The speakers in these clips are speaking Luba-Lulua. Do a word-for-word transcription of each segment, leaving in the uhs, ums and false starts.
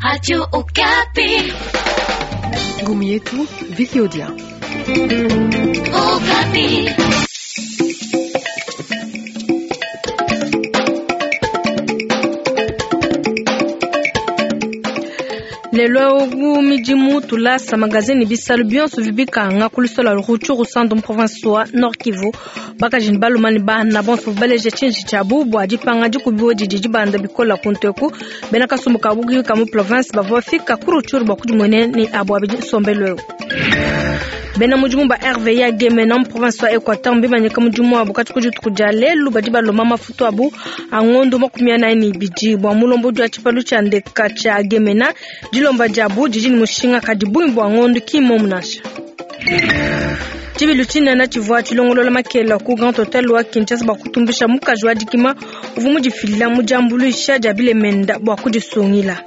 Radio Okapi. Ngumu yetu Vicky Odia. Okapi. Lelo midimu tulasa magazini bisalu bionso bibikanga kulusola Rutshuru centre province wa Nord Kivu bakajini balumani bana bonso baleje tshinji tshiabu bua dipanga dikubiwa didi dibanda bikola kunteku bena kasumbu ka bugi ka mu province bavua fika ku Rutshuru bua kudimuene ni abu abidi nsombelu eu. Bena mudimu ba R V A Gemena mu province wa Equateur mbimanyika mudimu wabu kati ku dituku dia lelu badi balomba mafutu abu a ngondo makumi anayi ne ibidi bua mulombodi wa tshipalu tshia ndeka tshia Gemena dilomba diabu didi ne mushinga kadi bungi bua ngondo ki mmomu nansha. Tshibilu tshinene tshivua tshilongolola makela ku Grand Hotel wa Kinshasa bua kutumbisha mukaji wa dikima uvua mudifila mu diambuluisha dia bilemenda bua kudisungila.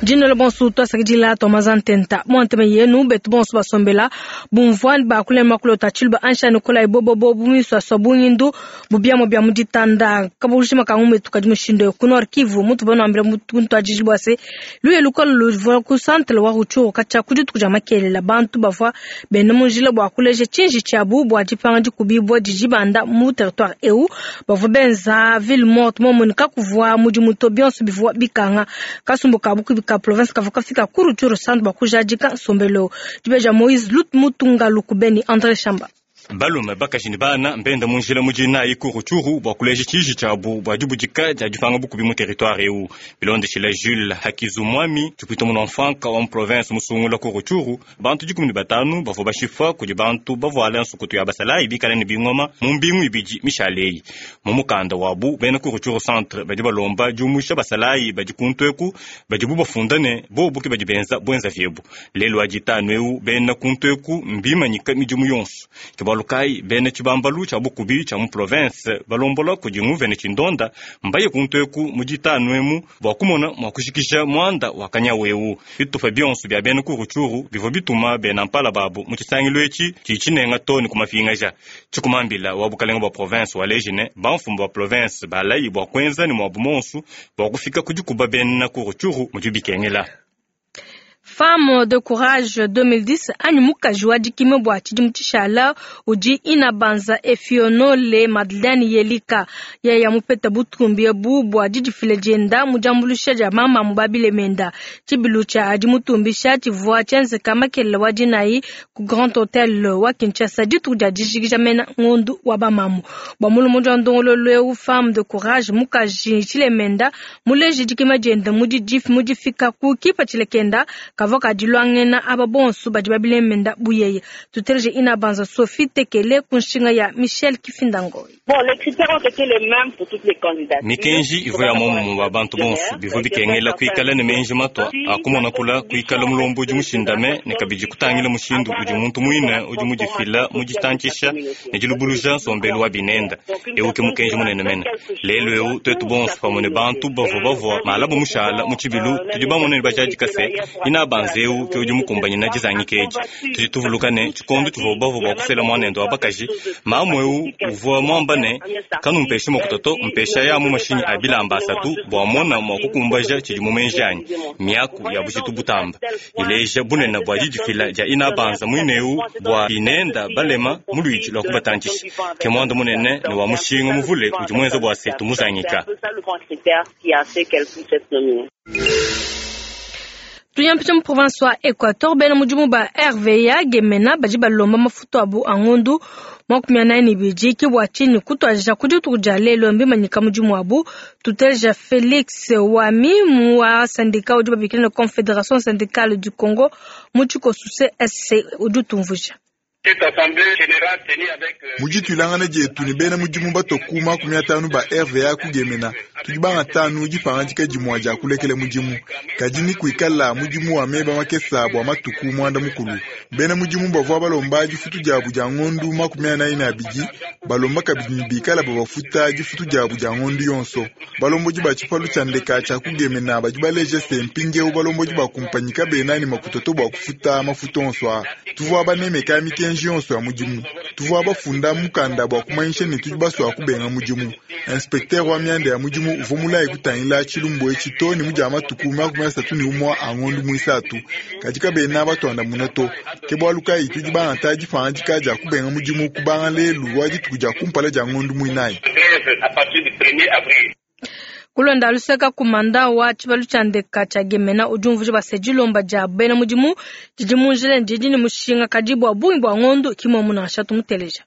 Dino le bonso to sakidila to mazantenta monteme yenu betu bonso basombela bumvwan ba kulema kulota chilba ansha nikola ibobo bobu miswa sobunyindu bubiamo bya muditanda kabushima kangume tukadi mushindo ku Nord Kivu mutu bono ambira mutu ajijibwa se luye lukolo luvwa ku centre wa Rutshuru kacha kuditu kuja makelela bantu bavwa bena munjila bwa kuleje chinji chabu bwa dipanga dikubibwa dijibanda mu territoire eu bavwa benza ville morte momonika kuvwa mudimuto bionso bivwa bikanga kasumbu kabuku bika province kavuka fika ku Rutshuru centre bakujadika nsombelo dibeja Moïse Lut Mutunga Lukubeni André Chamba. Balume bakajini bana mbenda munjila mujina iku Rutshuru bwa kuleja tshiji tshiabu bua dibudika dia dipanga bukubi mu territoire eu bilondeshila Jules Hakizumwami tshipwita muno mfanka wa mu province musungula ku Rutshuru bantu dikumi ne batanu bavua bashifa kudi bantu bavuala nsukutu ya basalayi bikala ne bingoma mu mbingu ibidi mishaleyi mu mukanda wabu bena ku Rutshuru centre badi balomba diumusha basalayi badi kuntu eku badibu bafunda ne bobu ke badi benza bwenza vyebu lelu aditanu eu bena kuntu eku mbimanyika midimu yonso Lukai bene tshibambalu tshia bukubi tshia mu province balombola kudi nguvene tshindonda mbaye kuntu eku muditanu emu bua kumona mua kushikisha muanda wa kanyawu bitupa bionso bia bena ku Rutshuru bivua bituma bena mpala babu mu tshisangilu etshi tshitshinenga to ne kumafingaja tshikumambila wa bukalenga bua province wa lejine bamfumu ba province balayi bua kuenza ne muabu monsu bua kufika kudikuba bena ku Rutshuru mudi bikengela. Femme de courage deux mille dix anyi mukaji wa dikime bua tshidimu tshishala udi inabanza Efionole Madeleine Yelika yeye mupeta butumbi ebu bua didifila dienda mu diambuluisha dia mama mu babilemenda tshibilu tshia dimutumbisha tshivua tshienzeka makelela wa dinayi ku Grand Hotel wa Kinshasa dituku dia dijikija mena ngondu wa bamamu bua mulumondi wa ndongololo eu Femme de courage mukaji tshilemenda muleji dikima dienda mu difika ku kipa tshilekenda kavoka dilwangena aba bonso badi babilemenda buyeye tuteleje inabanza Sophie Tekele kunshinga ya Michel Kifindangoy. Bon, les critères ont été les mêmes pour toutes les candidatures. Mikenji ivo ya momu ba bantu bonso bivo bikengela kuikala ne menji matwa akumona kula kuikala mulombo udi mushindame ne kabidi kutangila mushindu udi muntu muine udi mudifila muditantshisha ne dilubuluja nsombelu wa binenda eu ke mukenji munene mene lelu eu twetu bonso pamue ne bantu bavua bavua malabo mushala mu tshibilu tudi bamone ne bajadika se ina banzeu ke udi mukumbanyina dizangika edi tudi tuvuluka ne tshikondo tshivua bavua bua kusela muanende wa bakaji mamu eu uvua muamba ne kanumpeshe makuta mpesha ya mu mashinyi a bilamba asatu bua mona mua kukumbaja tshidi mu menji anyi miaku ya bujitu butamba ileja bunene bua didifila dia inabanza muineu bua binenda balema mu luidi lua kubatantshisha ke muanda munene ne wa mushinga muvule udi muenza bua se tumuzangika. Tuyampita mu province wa Equateur bena mudimu ba R V A Gemena badi balomba mafutu abu a ngondu makumi anayi ne ibidi ke bua tshinyi kutuadija ku dituku dia lelu mbimanyika mudimu wabu tuteleja Felix Wami wa syndicat udi babikila ne Confédération syndicale du Congo mu tshikoso C S C udi utumvuija. Mujitwilangana dietu ne bena mudimu batoku makumi atanu ba R V A kugemena tudi banga tanu dipangandika dimua dia kulekela mudimu kadi ni kuikala mudimu wa meba makesa bua matuku muanda mukulu bena mudimu bavua balomba difutu diabu dia ngondu makumi anayi ne abidi balomba kabidi ne bikala babafuta difutu diabu dia ngondu yonso balombodi ba tshipalu tshia ndeka tshia kugemena badi baleje se mpindieu balombodi bakumpanyika bena ne makutoto bua kufuta mafuta onso a tuvua banemeka mikenji mikenji yonso ya mudimu. Tuvua bafunda mukanda bua kumanyisha ne tudi basua kubenga mudimu. Inspecteur wa mianda ya mudimu uvua mulaye kutangila tshilumbu etshi to ne mudia matuku makumi asatu ne umua a ngondu muisatu. Kadi kabena batuandamuna to. Ke bualu kayi tudi bangata dipangadika dia kubenga mudimu kubanga lelu wa dituku dia kumpala dia ngondu muinayi. Kulonda luseka kumanda wa tshibalu tshia ndeka tshia Gemena udi umvuija bua se dilomba dia bena mudimu didi mu njila didi ne mushinga kadi bua bungi bua ngondu kimwe nansha tumuteleja.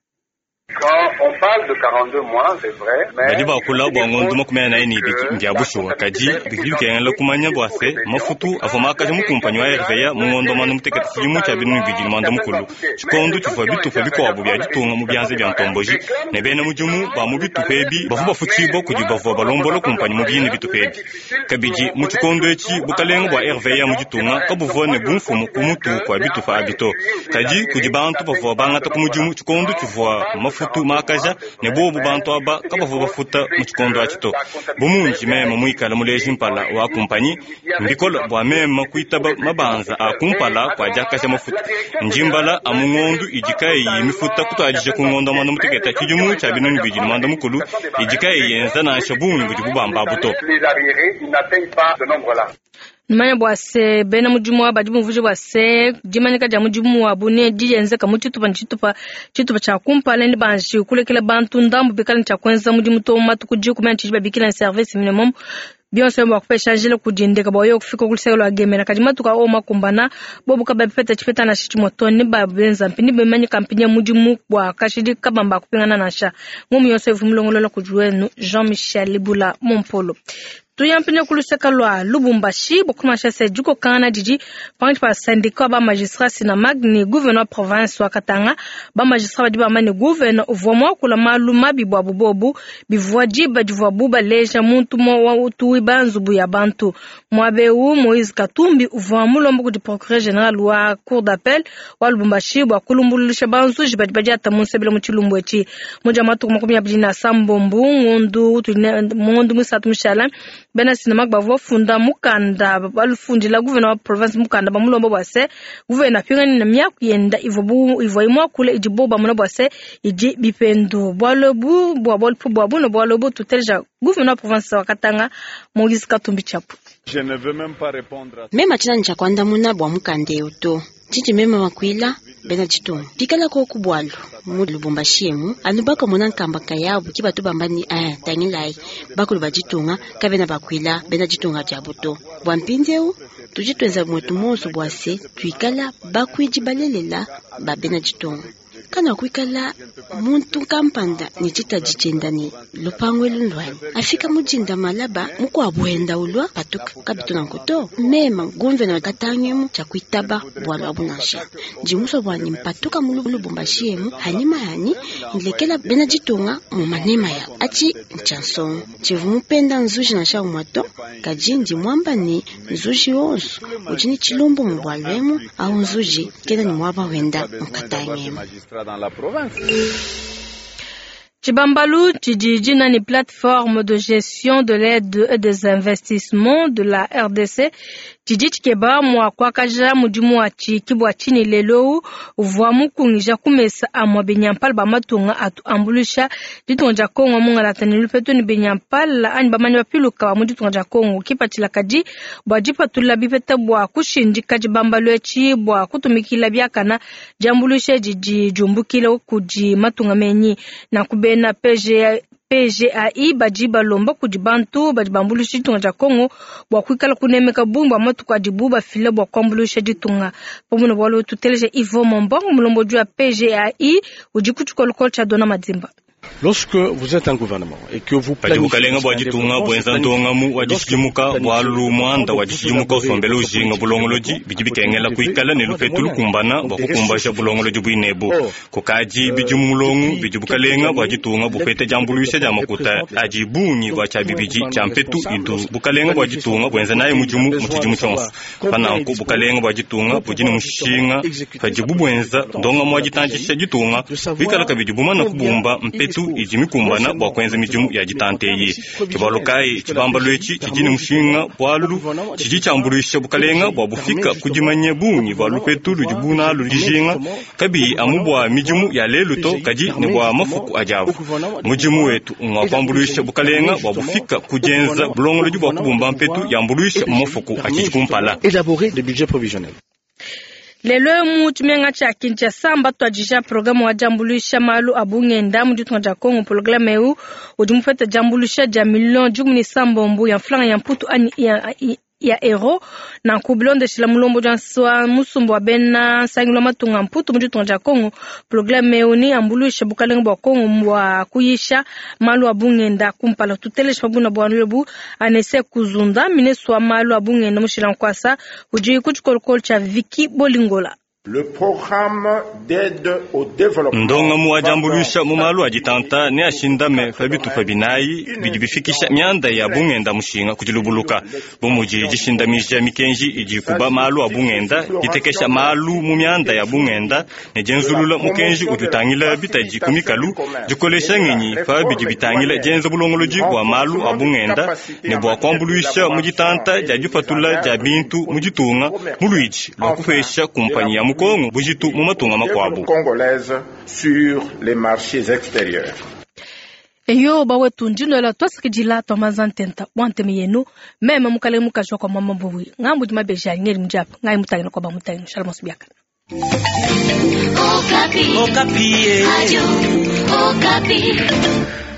Badi bakula bua ngondu makumi anayi ne ibidi ndia bushuwa, kadi bidi bikengela kumanya bua se mafutu avua makaja mu kumpanyi wa R V A mu ngondo mwanda mutekete tshidimu tshia binunu bibidi ne mwanda mukulu tshikondo tshivua bitupa bikuabu bia ditunga mu bianza bia ntomboji ne bena mudimu ba mu bitupa ebi bavua bafutshibua kudi bavua balombola kumpanyi mu bine bitupa ebi. Kabidi mu tshikondo etshi bukalenga bua R V A mu ditunga kabuvua ne bumfumu ku mutu kua bitupa abi to, kadi kudi bantu bavua bangata ku mudimu tshikondo tshivua mafutu makaja ne bobu bantu aba kabavua bafuta mu tshikondo atshi to. Bu mundi meme muikala muleji mpala wa kumpanyi mbikola bua meme kuitaba mabanza a kumpala kua diakaja mafutu njimbala amu ngondu idi kayiyi mifuta kutuadija ku ngondo mwanda mutekete tshidimu tshia binunu bibidi ne mwanda mukulu idi kayiyi yenza nansha bungi budi bubamba to. Numanya bua se bena mudimu wa badi bumvuija bua se dimanyika dia mudimu wabu ne dienzeka mu tshitupa ne tshitupa tshitupa tshia kumpala ne banji kulekela bantu ndambu bikala ne tshia kuenza mudimu to matuku dikumi ne tshidi babikila ne service minimum bionso bua kupesha njila kudindeka bua yo kufika ku luseke lua Gemena kadi matuku ao makumbana bobu kabapeta tshipeta nansha tshimue to ne babenza mpini bimanyika mpini ya mudimu bua kashidi kabamba kupingana nansha ngumu yonso ivu mulongolola kudi wenu Jean-Michel Libula Mompolo. Tuyampine kuluseka lwa Lubumbashi bokumasha se diko kana didi pangi pa syndicat ba magistrat Sinamag ni gouverneur province wa Katanga ba magistrat badi bamane gouverneur uvua mwakula malu mabi bwa bubobu bivua diba divua buba leja muntu mwa utuwi banzubu ya bantu mwabeu Moïse Katumbi uvua mulombo kudi procureur général wa cour d'appel wa Lubumbashi bwa kulumbululisha banzuji badi badi ata munsebele mu tshilumbu etshi muja matuku makumi abidi na sambombu ngondu ngondu musatu mushala bena Sinamag bavua funda mukanda balufundila gouverneur wa province mukanda bamulomba bua se gouverneur apingani na miaku yenda ivua bu ivua imwakula idi bo bamona bua se idi bipendu bualu bu bua bualu bua buno bualu bu tuteleja gouverneur wa province wa Katanga Moïse Katumbi Chapwe. Mema tshina ntsha kuandamuna bua mukanda eu to tshindi mema makuila bena tshitungu pikala koku bualu mu Lubumbashi emu anu bakamona nkamba kayabu ki batu bamba ni eh tangilai bakulu ba ditunga kabena bakuila bena ditunga diabu to bua mpindieu tudi tuenza mwetu monso bua se tuikala bakuidi balelela ba bena ditunga kana kuikala muntu kampanda ni tshitadi tshienda ni lupangu elu ndwani afika mudinda malaba mukuabu ulwa patuka kabituna nkuto mema gumvena katangemu tshia kuitaba bualu abu nansha ndimuswa bwani mpatuka mu Lubumbashi emu hanyima yani nlekela bena ditunga mu manema ya achi ntchansongo tshivu mupenda nzuji nansha umwato kadi ndi mwamba ni nzuji wonso udi ni tshilumbu mu bualu emu au nzuji kena ni mwaba wenda mukatangemu. Dans la province. Tshibambalu tshidi nani plateforme de gestion de l'aide et des investissements de la R D C tshidi tshikeba mua kuakaja mudimu wa tshikibua tshini lelo uvua mukungija kumesa amua binyampala ba matunga atu ambulisha ditunga dia Kongo mungalata ne lupetu ne binyampala anyi bamanyi bapiluka ba mu ditunga dia Kongo kipatshila kadi bua dipatula bipeta bua kushindika tshibambalu etshi bua kutumikila biakana diambulisha didi diumbukila kudi matunga menyi na kubena P G P G A I badi balomba kudi bantu badi bambulisha ditunga dia Kongo bua kuikala kunemeka bungi bua matuku adibu bafila bua kuambulisha ditunga. Pamue bualu tuteleje Ivo Mombongo mulombodi wa P G A I udi ku tshikolokolo tshia Dona Madimba. Lorsque vous êtes un gouvernement et que vous planifiez bukalenga bua ditunga buenza ndongamu wa dishidimuka bualu muanda wa dishidimuka usombela ujinga bulongolodi bidi bikengela kuikala ne lupetu lukumbana bua kukumbasha bulongolodi buinebu kukadi bidi mulongu bidi bukalenga bua ditunga bupete diambuluisha dia makuta adi bungi bua tshia bibidi tshia mpetu idu bukalenga bua ditunga buenza naye mudimu mu tshidimu tshionso pananku bukalenga bua ditunga budi ne mushinga padibu buenza ndongamu wa ditandisha ditunga bikala kabidi bumana kubumba mpetu mpetu idi mikumbana bua kuenza midimu ya ditanta eyi. Tshibalo kayi tshibambalu etshi tshidi ne mushinga bualu tshidi tshiambuluisha bukalenga bua bufika ku dimanya bungi bua lupetu ludi bunalu dijinga kabiyi amu bua midimu ya lelu to kadi ne bua mafuku adi avu. Mudimu wetu ngwa kuambuluisha bukalenga bua bufika ku dienza bulongolodi bua kubumba mpetu yambuluisha mu mafuku atshidi kumpala. Élaborer des budgets prévisionnels. Lelo mu tshimenga tshia Kinshasa mbatuadija programme wa diambuluisha malu a bungenda mu ditunga dia Congo. Programme eu udi mupeta diambuluisha dia million dikumi ne sambombo ya mfranga ya mputu anyi ya, ya euro nanku bilondeshela mulombo wa musumba wa bena nsangilu wa matunga mputu mu ditunga dia Congo. Programme eu ni ambuluisha bukalenga bua Congo bua kuyisha malu a bungenda kumpala. Tutelesha pabuna bua nlobu anese kuzunda ministre wa malu a bungenda mushila nkwasa udi ku tshikolokolo tshia Vicky Bolingola. Le programme d'aide au développement ndongamu wa diambuluisha mu malu a ditanta ne ashindame pa bitupa binayi bidi bifikisha mianda ya bungenda mushinga ku dilubuluka bu mudi dishindamija mikenji idi ikuba malu a bungenda, ditekesha malu mu mianda ya bungenda ne dienzulula mukenji udi utangila bitadi ku mikalu, dikolesha ngenyi pa bidi bitangila dienza bulongolodi bua malu a bungenda ne bua kuambuluisha mu ditanta dia dipatula dia bintu mu ditunga mu luidi lua kupesha kumpanyi ya Kongo bujitu mu matunga makuabu. Congolaise sur les marchés extérieurs. Eyo bawetu ndino twasikidila twamazantenta bwanteme yenu meme mukale mukajwa kwa mama mbuwi ngambu di mabeja ngeri mujapa ngai mutangina kwa bamutangina shalom subiaka. Okapi. Okapi. Radio Okapi.